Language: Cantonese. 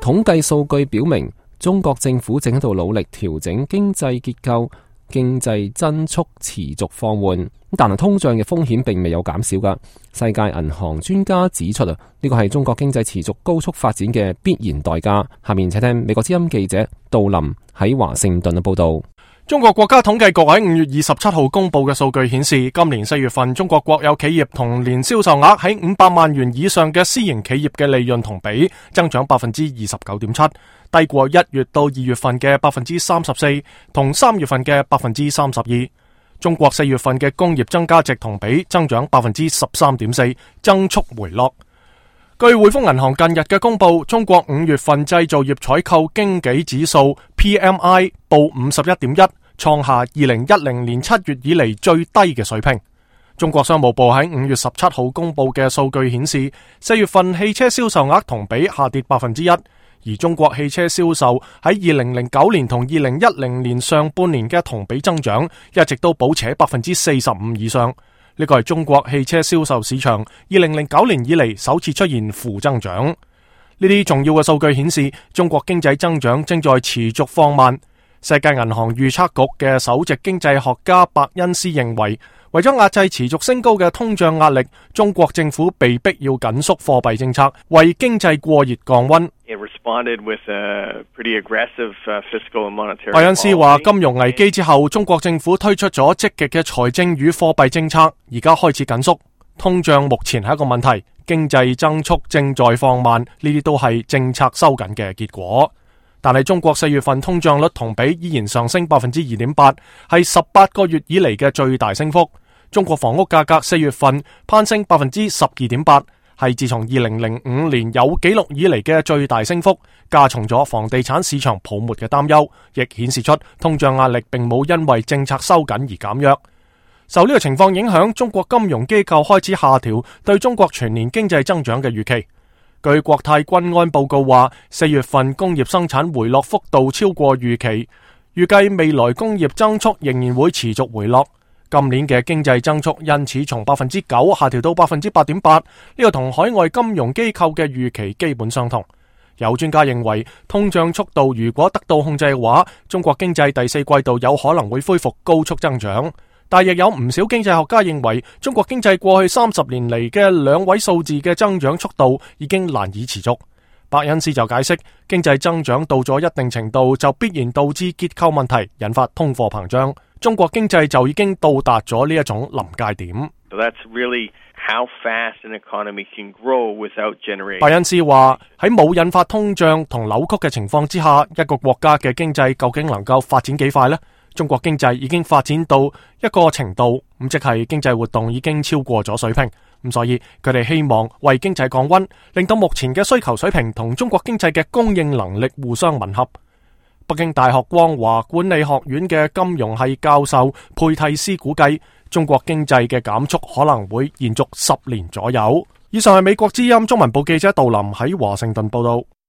統計數據表明，中國政府正喺度努力調整經濟結構，經濟增速持續放緩，但係通脹嘅風險並未有減少㗎。世界銀行專家指出呢個係中國經濟持續高速發展嘅必然代價。下面請聽美國之音記者杜林喺華盛頓嘅報道。中國國家統計局喺5月27號公布嘅數據顯示，今年4月份中國國有企業同年銷售額喺500萬元以上嘅私營企業嘅利潤同比增長 29.7%， 低過1月到2月份嘅 34%， 同3月份嘅 32%。中國4月份嘅工業增加值同比增長 13.4%， 增速回落。據匯豐銀行近日嘅公布，中國5月份製造業採購經紀指數 PMI 報 51.1， 創下2010年7月以嚟最低嘅水平。中國商務部喺5月17號公布嘅數據顯示，4月份汽車銷售額同比下跌 1%， 而中國汽車銷售喺2009年同2010年上半年嘅同比增長一直都保持喺 45% 以上。呢個係中國汽車銷售市場2009年以嚟首次出現負增長。呢啲重要嘅數據顯示，中國經濟增長正在持續放慢。世界銀行預測局嘅首席經濟學家伯恩斯認為，為咗壓制持續升高嘅通脹壓力，中國政府被迫要緊縮貨幣政策，為經濟過熱降溫。伯恩斯話，金融危機之後，中國政府推出咗積極嘅財政與貨幣政策，而家開始緊縮。通脹目前係一個問題，經濟增速正在放慢，呢啲都係政策收緊嘅結果。但係中國4月份通脹率同比依然上升 2.8%， 係18個月以嚟嘅最大升幅。中國房屋價格4月份攀升 12.8%， 係自從2005年有紀錄以嚟嘅最大升幅，加重咗房地產市場泡沫嘅擔憂，亦顯示出通脹壓力並冇因為政策收緊而減弱。受呢個情況影響，中國金融機構開始下調對中國全年經濟增長嘅預期。據國泰君安報告話，4月份工業生產回落幅度超過預期，預計未來工業增速仍然會持續回落。今年嘅經濟增速因此從 9% 下調到 8.8%， 呢個同海外金融機構嘅預期基本相同。有專家認為，通脹速度如果得到控制嘅話，中國經濟第4季度有可能會恢復高速增長。但亦有唔少經濟學家認為，中國經濟過去30年嚟嘅2位數字嘅增長速度已經難以持續。伯恩斯就解釋，經濟增長到咗一定程度就必然導致結構問題，引發通貨膨脹。中國經濟就已經到達咗呢一種臨界點。伯恩斯話，喺冇引發通脹同扭曲嘅情況之下，一個國家嘅經濟究竟能夠發展幾快呢？中國經濟已經發展到一個程度，即係經濟活動已經超過咗水平，所以佢哋希望為經濟降溫，令到目前嘅需求水平同中國經濟嘅供應能力互相吻合。北京大學光華管理學院嘅金融系教授佩蒂斯估計，中國經濟嘅減速可能會延續10年左右。以上係美國之音中文部記者杜林喺華盛頓報道。